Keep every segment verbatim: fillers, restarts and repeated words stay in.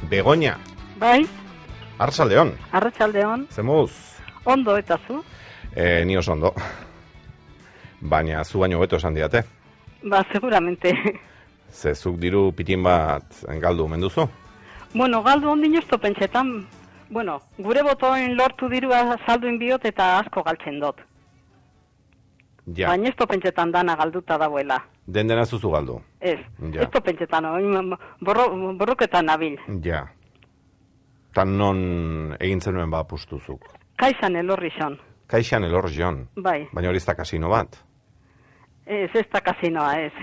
Begoña. Bai. Arratsaldeon. Arratsaldeon. Zemuz? Ondo eta zu? Eh, ni oso ondo. Baina zu baino hobeto esan diate. Ba, seguramente. Ze zuk diru pitin bat galdu omen duzu? Bueno, galdu ondino esto pentsetan, bueno, gure botoen lortu dirua salduin biot eta asko galtzen dut. Ja. Baina esto pentsetan dana galduta dagoela. Den dena zuzu galdu? Ez, ja. Esto pentsetan, borro, borroketan nabil. Ja. Tan non egin zenuen ba apustuzuk? Kaixan elorri xon. Kaixan elorri xon? Bai. Baina hori ez da kasino bat? Ez, ez da kasinoa, ez.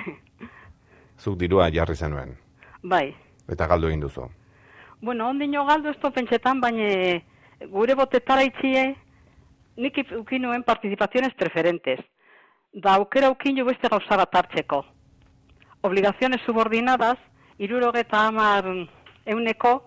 Zuk dirua jarri zenuen? Bai. Eta galdu egin duzu? Bueno, ondino galdu esto pentsetan, baina gure botetara itxie, nik ukinuen participaciones preferentes. Da aukera ukinu beste gauza bat hartzeko. Obligaciones subordinadas, irurogeta hamar euneko,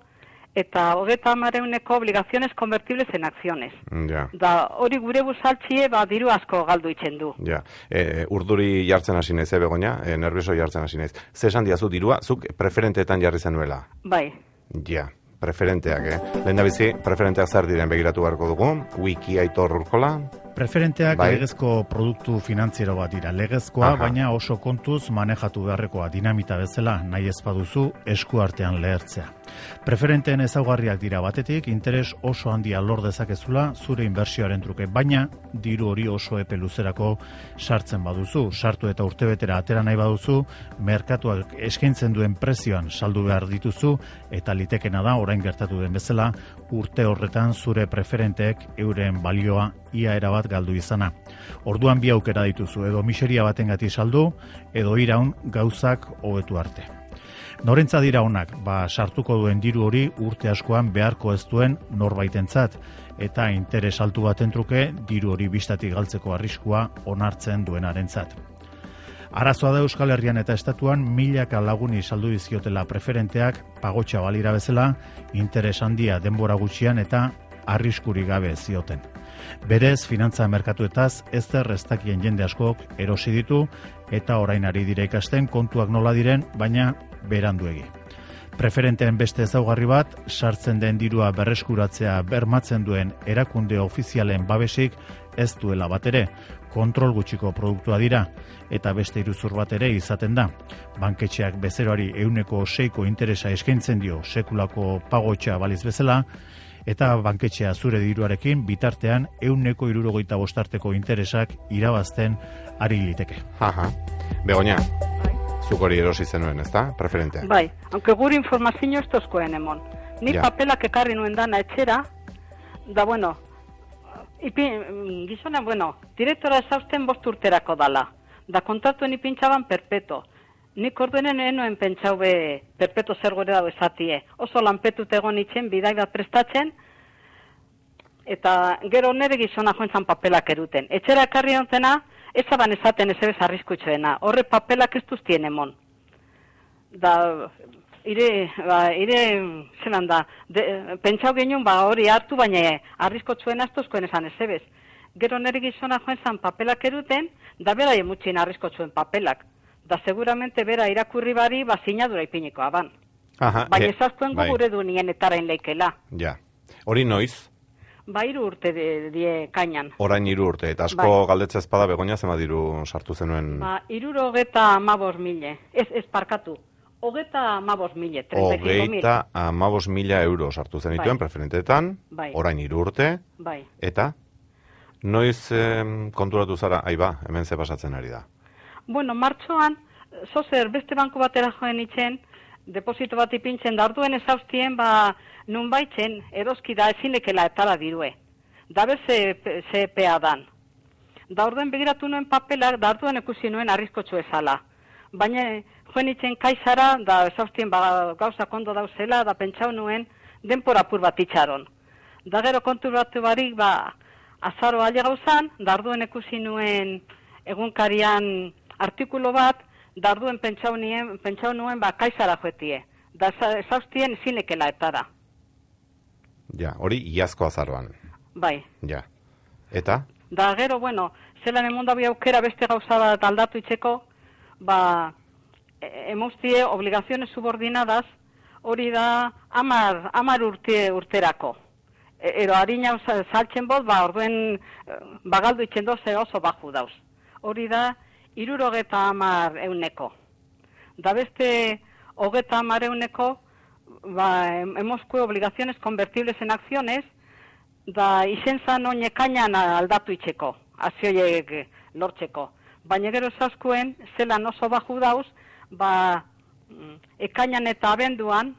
eta hogeta hamar euneko obligaciones convertibles en acciones. Ja. Da hori gure buzaltxie, ba, diru asko galdu itzen du. Ja. E, urduri jartzen hasi naiz, Begoña, e, nervioso jartzen hasi naiz. Ze esan diazu dirua, zuk preferenteetan jarri zenuela? Bai. Ja, preferenteak, eh? Lehen da bizi, preferenteak zer diren begiratu beharko dugu, wiki Aitor Urkola. Preferenteak bai. Legezko produktu finantziero bat dira. Legezkoa, Aha. baina oso kontuz manejatu beharrekoa, dinamita bezala, nahi ez baduzu esku artean lehertzea. Preferenteen ezaugarriak dira batetik, interes oso handia lor dezakezula zure inbertsioaren truke, baina diru hori oso epe luzerako sartzen baduzu. Sartu eta urtebetera atera nahi baduzu, merkatuak eskaintzen duen prezioan saldu behar dituzu, eta litekena da, orain gertatu den bezala, urte horretan zure preferenteek euren balioa ia erabat galdu izana. Orduan bi aukera dituzu, edo miseria batengati saldu, edo iraun gauzak hobetu arte. Norentza dira honak, ba sartuko duen diru hori urte askoan beharko ez duen norbaitentzat, eta interes altu baten truke diru hori bistatik galtzeko arriskua onartzen duenarentzat. Arazoa da Euskal Herrian eta estatuan milaka laguni saldu dizkiotela preferenteak pagotxa balira bezala, interes handia denbora gutxian eta arriskuri gabe zioten. Berez, finantza merkatuetaz ez zer ez dakien jende askok erosi ditu eta orain ari dira ikasten kontuak nola diren, baina beranduegi. Preferenteen beste ezaugarri bat, sartzen den dirua berreskuratzea bermatzen duen erakunde ofizialen babesik ez duela bat ere, kontrol gutxiko produktua dira, eta beste iruzur bat ere izaten da. Banketxeak bezeroari ehuneko seiko interesa eskaintzen dio sekulako pagotxa baliz bezala, eta banketxea zure diruarekin bitartean ehuneko hirurogeita bostarteko interesak irabazten ari liteke. Aha. Begoña, zuk hori erosi zenuen, ezta? Preferenteak. Bai, aunque gure informazio ez tozkoen emon. Ni Ja. papelak ekarri nuen dana etxera, da bueno, ipi, gizona, bueno, direktora esausten bost urterako dala. Da kontratuen ipintxaban perpeto. Nik orduenen enoen pentsau be perpeto zer gore dago esatie. Oso lanpetut egon itzen, bidai bat prestatzen, eta gero nere gizona joan papelak eruten. Etxera ekarri ontena, ezaban esaten ez ebez arriskutxoena. Horre papelak ez duztien emon. Da, ire, ba, ire, zelan da, de, pentsau genuen ba hori hartu, baina arriskotxoena ez duzkoen esan ez ebez. Gero nere gizona joan papelak eruten, da bera emutxien arriskotxoen papelak. Da seguramente bera irakurri bari, ba sinadura ipinikoa ban. Aha, baina eh, ezaztuen bai. gure du nien etarain leikela. Ja. Hori noiz? Ba hiru urte de, die kainan. Orain hiru urte, eta asko Bai. galdetza ezpada Begoña zema diru sartu zenuen? Ba hirurogeta hamabos mile. Ez, ez parkatu. Hogeta hamabos mile. Hogeita hamabos mila euro sartu zenituen Bai. preferenteetan, Bai. orain hiru urte, Bai. eta noiz eh, konturatu zara, aiba, hemen ze pasatzen ari da. Bueno, martxoan, zozer beste banku batera joen itzen, deposito bat ipintzen, da orduen ezauztien, ba, nun baitzen, eroski da ezinekela etala dirue. Da bez ze, ze pea dan. Da orduen begiratu nuen papelak, da orduen ikusi nuen arriskotxo ezala. Baina joen itzen kaixara, da ezauztien ba, gauza kondo dauzela, da pentsau nuen denpora apur bat itxaron. Da gero konturatu barik, ba, azaro alde gauzan, da orduen ikusi nuen egunkarian artikulo bat, darduen pentsau nuen, pentsau nuen ba kaisara joetie. Da ezauztien zinekela etara. Ja, hori iazko azaroan. Bai. Ja. Eta? Da gero, bueno, zelan emonda bi aukera beste gauza bat aldatu itzeko, ba, e, emuztie obligaziones subordinadas, hori da amar, amar urte urterako. E, ero harina saltzen bot, ba, orduen bagaldu itzen doz, oso baju dauz. Hori da, irurogeta amar euneko. Da beste, hogeta amar euneko, ba, hemos obligaciones convertibles en acciones, da izen zan oin ekainan aldatu itxeko, azioiek lortzeko. Baina gero esaskuen, zelan oso baju dauz, ba, ekainan eta abenduan,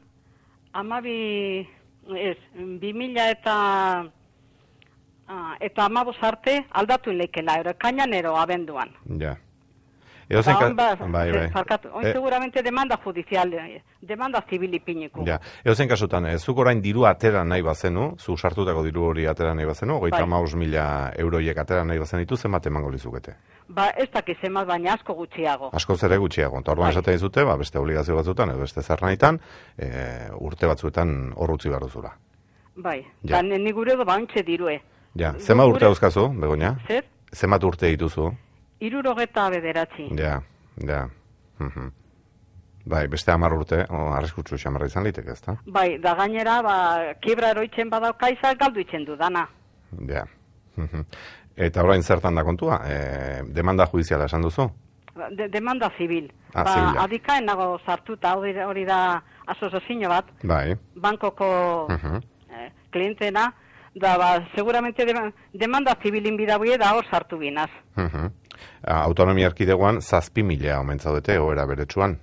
amabi, ez, bi mila eta, eta amabos arte aldatu inleikela, ero ekainan ero abenduan. Ja. Edo zen Ba, bai, bai. Oin E- seguramente demanda judicial, demanda civil ipiniko. Ja, edo zen kasutan, eh, zuk orain diru atera nahi bazenu, zu sartutako diru hori atera nahi bazenu, hogeita Bai. hamabost mila euroiek atera nahi bazen ditu, zenbat emango lizukete? Ba, ez dakiz emat, baina asko gutxiago. Askoz ere gutxiago. Eta orduan Bai. esaten dizute, ba, beste obligazio batzuetan, edo beste zer nahitan, e, urte batzuetan hor utzi behar duzula. Bai, Ja. da ni gure edo bauntxe dirue. Ja, Gu- zenbat urte gure- dauzkazu, Begoña? Zer? Zenbat urte dituzu? Irurogeta bederatzi. Ja, ja. Mhm. Bai, beste hamar urte, o, arriskutsu xamarra izan liteke, ezta? Bai, da gainera, ba, kibra eroitzen badaukaizak galdu itzen du dana. Ja. Mhm. Eta orain zertan da kontua? E, demanda judiziala esan duzu? De, demanda zibil. Ah, ba, zibila. adikaen nago sartuta, hori, hori da asozazio bat, Bai. bankoko Mhm. eh, klientena, da, ba, seguramente de, demanda zibilin bidabuie da hor sartu binaz. Mhm. Autonomia erkidegoan zazpi mila omen zaudete, oera beretsuan.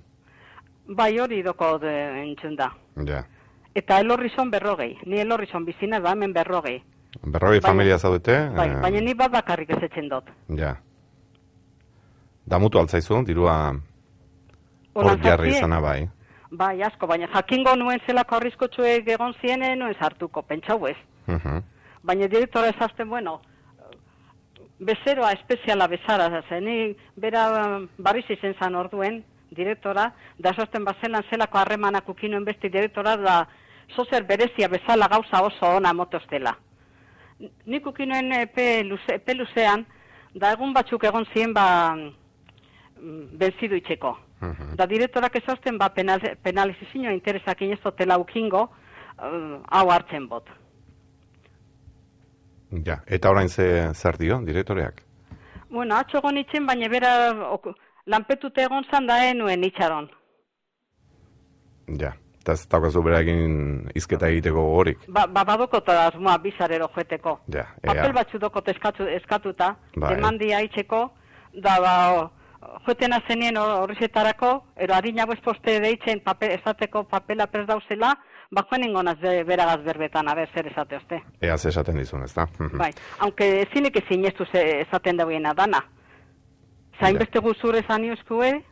Bai, hori doko de, entzun da. Ja. Eta elorrizon berrogei. Ni elorrizon bizina da hemen berrogei. Berrogei Baina- familia zaudete? Bai, eh, baina ni bat bakarrik ez etzen dut. Ja. Damutu altzaizu, dirua hor Holan jarri zazie? izana bai. Bai, asko, baina jakingo nuen zelako arriskotsuek egon zienen, nuen sartuko, pentsau ez. Mhm. Baina direktora ezazten, bueno, bezeroa espeziala bezara, zen, ni bera barriz izen zan orduen, direktora, da ezazten bazelan zelako harremanak ukinuen besti direktora, da zozer berezia bezala gauza oso ona motostela. Nik ukinuen epe, luze, epe luzean, da egun batzuk egon ziren, ba, mm, benzidu itxeko. Mhm. Da direktorak ezazten, ba, penal, penalizizioa interesak inezotela ukingo, uh, hau hartzen bot. Ja, eta orain ze zer dio, direktoreak? Bueno, atxo egon itzen, baina bera ok, lanpetute egon zan da enuen itxaron. Ja, eta ez daukazu bera egin izketa egiteko gogorik. Ba, ba badokot asmoa bizarero joeteko. Ja, Papel ea. batzu dokot eskatu, eskatuta, Bai. demandia itxeko, da ba, o, joetena zenien horrezetarako, ero harinago esposte deitzen papel, esateko papela prez dauzela, ba joan ingonaz be, beragaz berbetan, aber zer esate oste. Ea ze esaten dizun, ezta? Mhm. Bai, aunque ezinek ezin estu ze esaten dauena dana. Zain Ja. beste guzur esan iuskue,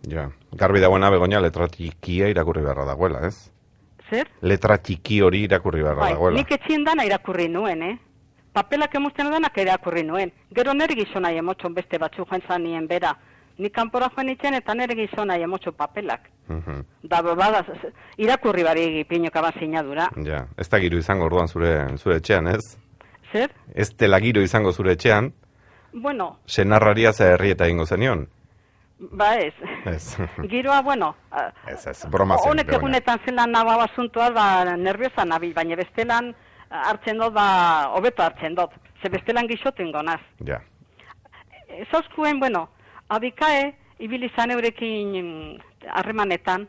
Ja, garbi dagoena Begoña letra txikia irakurri beharra dagoela, ez? zer? Letra txiki hori irakurri beharra Bai, dagoela. nik etxien dana irakurri nuen, eh? Papelak emusten danak irakurri nuen. Gero nere gizona emotxon beste batzu joan zanien bera. Nik kanpora joan itzen eta nere gizona emotxo papelak. Mhm. Da, bada, irakurri bari pinoko ban sinadura. Ja, ez da giro izango orduan zure zure etxean, ez? Zer? Ez dela giro izango zure etxean, Bueno, senarraria ze herrieta egingo zenion. ba ez. Ez. Giroa, bueno, Ez, ez, broma zen, honek Begoña. egunetan zelan naba basuntua, ba, nerviosa nabil, baina bestelan hartzen dut, ba, hobeto hartzen dut. Ze bestelan gixoten gonaz. Ja. Zauskuen, bueno, abikae, ibili zan eurekin mm, harremanetan,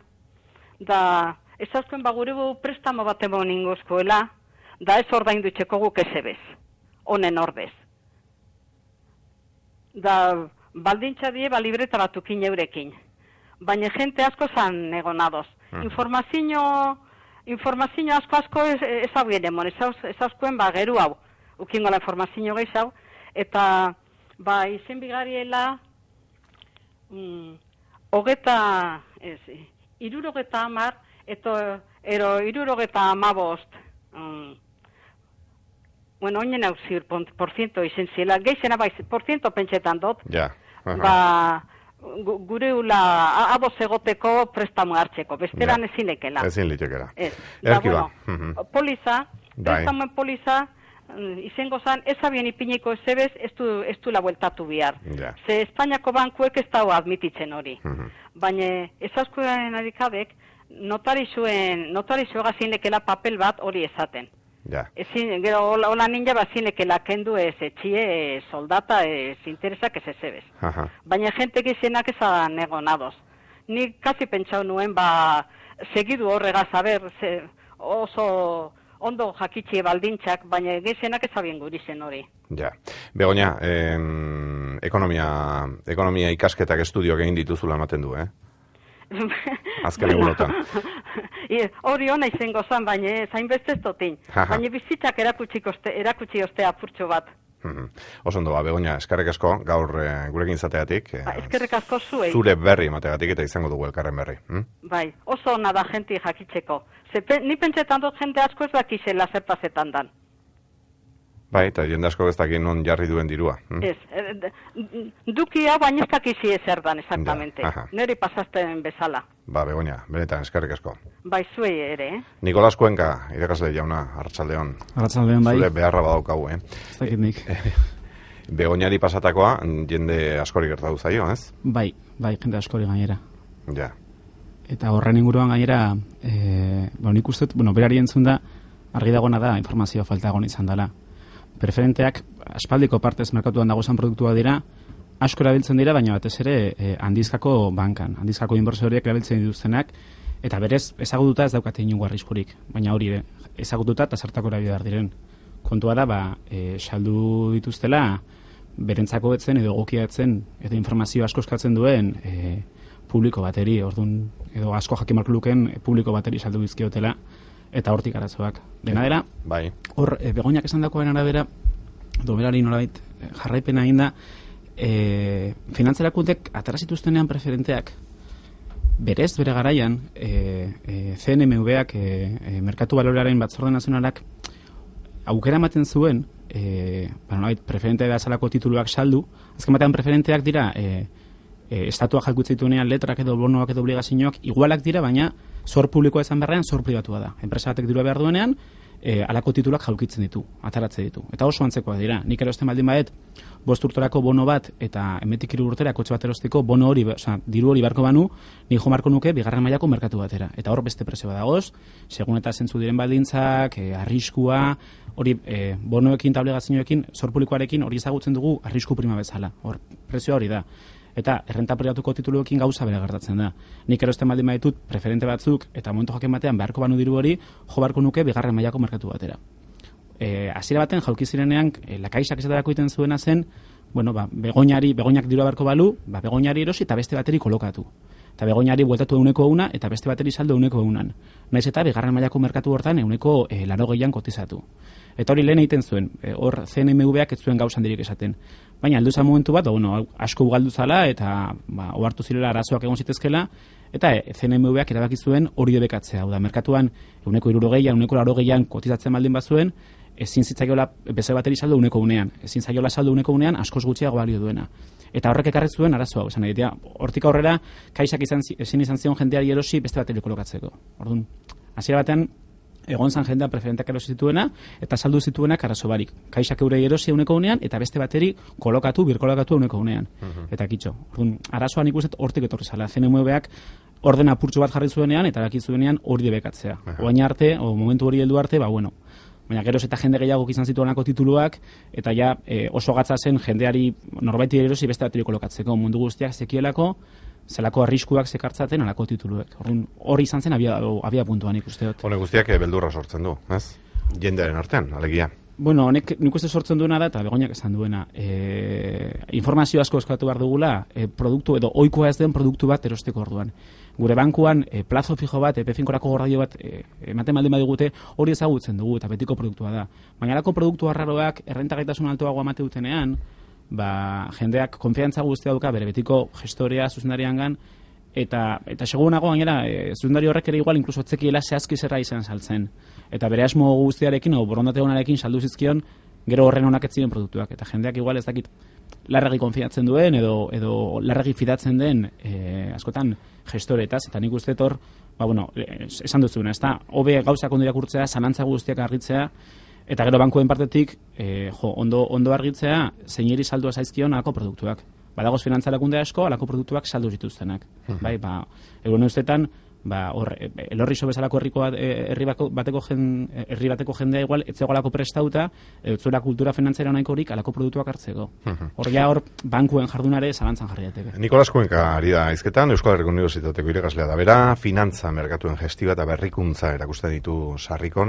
da, ez zauskuen, ba, gure gu prestamo bat emon ingozkoela, da ez ordaindu itxeko guk ezebez, honen ordez. Da, baldintza die, ba, libreta batukin eurekin. Baina jente asko zan egonadoz. Mhm. Informazio, informazio asko asko ez, ez hau emon, ez, hauz- ez hauskuen, ba, geru hau, ukingo la informazio gehiago, eta, ba, izen bigariela, mm, hogeta, ez, irurogeta amar, eto, ero, irurogeta amabost, mm, bueno, oinen hau zir, por ciento izen zila, gehizena bai, por ciento pentsetan dut, Ja. Aha. ba, gu- gure ula, a- ados egoteko prestamo hartzeko, besteran Ja. ezinekela. Ezin litekera. Ez, da, Erkiba. bueno, Mhm. poliza, Bai. prestamoen poliza, mm, izango zan, ez abien ipiniko ezebez, ez du, ez du la bueltatu bihar. Ja. Ze Espainiako bankuek ez dago admititzen hori. Mhm. Baina ez askoen adikabek, notarizuen, notarizua zinekela papel bat hori esaten. Ja. Ezin, gero, hola ninja bat zinekela kendu ez etxie, ez soldata, ez interesak ez ezebez. Aha. Baina jente gizenak ezan egonadoz. Ni kasi pentsau nuen, ba, segidu horregaz, haber, ze, oso ondo jakitxie baldintzak, baina gizenak ezabien guri zen hori. Ja. Begoña, eh, ekonomia, ekonomia ikasketak estudioak egin dituzula ematen du, eh? Azken egunotan. Hori hona izango zan, baina zain beste ez dotin. Baina bizitzak erakutsi oste apurtxo bat. Oso ondo, ba, Begoña, eskerrik asko, gaur eh, gurekin izateagatik. Ba, eskerrik asko zuei. Zure berri emategatik eta izango dugu elkarren berri. Hm? Bai, oso ona da jenti jakitzeko. Ze, ni pentsetan dut jente asko ez dakizela zertazetan dan. Bai, eta jende asko ez dakien non jarri duen dirua. Hm? Ez, duki hau baina ez dakizi ezer dan, exactamente. Ja, neri pasazten bezala. Ba, Begoña, benetan, eskerrik asko. Bai, zuei ere, eh? Nikolas Kuenka, irakasle jauna, Arratsaldeon. Arratsaldeon, bai. Zure beharra badaukagu, eh? Ez dakit nik. Begoñari pasatakoa, jende askori gertatu zaio, ez? Bai, bai, jende askori gainera. Ja. Eta horren inguruan gainera, e, bueno, nik uste, bueno, berari entzun da, argi dagoena da, informazio falta egon izan dela. Preferenteak, aspaldiko partez merkatuan dagozan produktua dira, asko erabiltzen dira, baina batez ere e, handizkako bankan, handizkako inbertsoriek erabiltzen dituztenak, eta berez ezagututa ez daukate inungo arriskurik, baina hori ezagututa eta zertako erabili behar diren. Kontua da, ba, e, saldu dituztela, berentzako etzen edo egokia etzen, edo informazio asko eskatzen duen e, publiko bateri, orduan, edo asko jakimarko luken e, publiko bateri saldu bizkiotela, eta hortik arazoak. Dena dela, bai. Hor, e, Begoñak esan dakoen arabera, doberari nolabait jarraipena egin da, e, finantzerakuntek atarazituztenean preferenteak, berez, bere garaian, e, e, C N M V-ak, e, e, Merkatu Balorearen Batzorde Nazionalak, aukera ematen zuen, e, ba, preferente da salako tituluak saldu, azken batean preferenteak dira, e, e, estatua jalkutzen dituenean letrak edo bonoak edo obligazioak igualak dira, baina zor publikoa izan beharrean zor pribatua da. Enpresa batek dirua behar duenean, e, alako tituluak jalkitzen ditu, ataratzen ditu. Eta oso antzekoa dira. Nik erosten baldin badet, bost urterako bono bat eta emetik hiru urtera kotxe bat erosteko bono hori, oza, diru hori barko banu, ni jo marko nuke bigarren mailako merkatu batera. Eta hor beste prezioa dagoz, segun eta zentzu diren baldintzak, e, arriskua, hori e, bonoekin eta obligazioekin, zor publikoarekin hori ezagutzen dugu arrisku prima bezala. Hor prezioa hori da. Eta errenta pribatuko tituluekin gauza bere gertatzen da. Nik erosten baldin baditut preferente batzuk eta momentu jaken batean beharko banu diru hori jo barko nuke bigarren mailako merkatu batera. Eh, hasiera baten jauki zirenean e, lakaixak esaterako egiten zuena zen, bueno, ba, Begoñari, Begoñak dirua beharko balu, ba, Begoñari erosi eta beste bateri kolokatu. Eta Begoñari bueltatu euneko una eta beste bateri saldo euneko eunan. Naiz eta bigarren mailako merkatu hortan euneko e, larogeian kotizatu. Eta hori lehen egiten zuen, e, hor C N M V-ak ez zuen gauzan dirik esaten. Baina aldu zan momentu bat, bueno, asko ugaldu zala eta ba, ohartu zirela arazoak egon zitezkela, eta e, C N M V-ak erabaki zuen hori debekatzea. Hau da, merkatuan euneko hirurogeian, euneko larogeian kotizatzen baldin bazuen, ezin zitzaiola beze bateri saldo uneko unean, ezin zaiola saldo uneko unean askoz gutxiago balio duena. Eta horrek ekarri zuen arazo hau, esan egitea, hortik aurrera kaixak izan, ezin izan zion jendeari erosi beste bateri kolokatzeko. Orduan, hasiera batean egon zan jendea preferenteak erosi zituena eta saldu zituenak arazo barik. Kaixak eurei erosi uneko unean eta beste bateri kolokatu, birkolokatu uneko unean. Uh-huh. Eta kitxo. Orduan, arazoan ikusten hortik etorri zala. C N M V-ak orden apurtxo bat jarri zuenean eta daki zuenean hori debekatzea. Uh-huh. Oain arte, o momentu hori heldu arte, ba bueno, baina geroz eta jende gehiago izan zituenako tituluak, eta ja e, oso gatza zen jendeari norbaiti erosi beste bateri kolokatzeko. Mundu guztiak zekielako, zelako arriskuak zekartzaten alako tituluek. Hori izan zen abia, abia puntuan ikuste dut. Hone guztiak beldurra sortzen du, ez? Jendearen artean, alegia. Bueno, honek nik uste sortzen duena da, eta Begoñak esan duena, e, informazio asko eskatu behar dugula, e, produktu edo ohikoa ez den produktu bat erosteko orduan. Gure bankuan e, plazo fijo bat, epe finkorako gordaio bat e, ematen baldin badigute hori ezagutzen dugu eta betiko produktua da. Baina alako produktu arraroak errentagaitasun altoago amate dutenean, ba, jendeak konfiantza guztia duka bere betiko gestorea zuzendariangan, eta eta segunago gainera e, zuzendari horrek ere igual inkluso etzekiela zehazki zerra izan saltzen. Eta bere asmo guztiarekin o borondate onarekin saldu zizkion gero horren onak ez ziren produktuak. Eta jendeak igual ez dakit larregi konfiatzen duen edo edo larregi fidatzen den e, askotan gestoretaz, eta nik uste hor, ba bueno, esan duzuna, ezta, hobe gauzak ondo irakurtzea, zalantza guztiak argitzea, eta gero bankuen partetik, e, jo, ondo, ondo argitzea, zeineri saldua zaizkion alako produktuak. Badagoz finantzalakunde asko, alako produktuak saldu zituztenak. Uh-huh. Bai, ba, egun ustetan, ba, hor, elorrizo bezalako herriko bat, herri bateko, jen, herri bateko jendea igual, etzegoalako prestauta, etzura kultura finantzera nahikorik alako produktuak hartzeko. Hor ja hor, bankuen jardunare zalantzan jarri dateke. Nikolas Kuenka ari da izketan, Euskal Herriko Unibertsitateko irakaslea da bera, finantza merkatuen gestioa eta berrikuntza erakusten ditu sarrikon.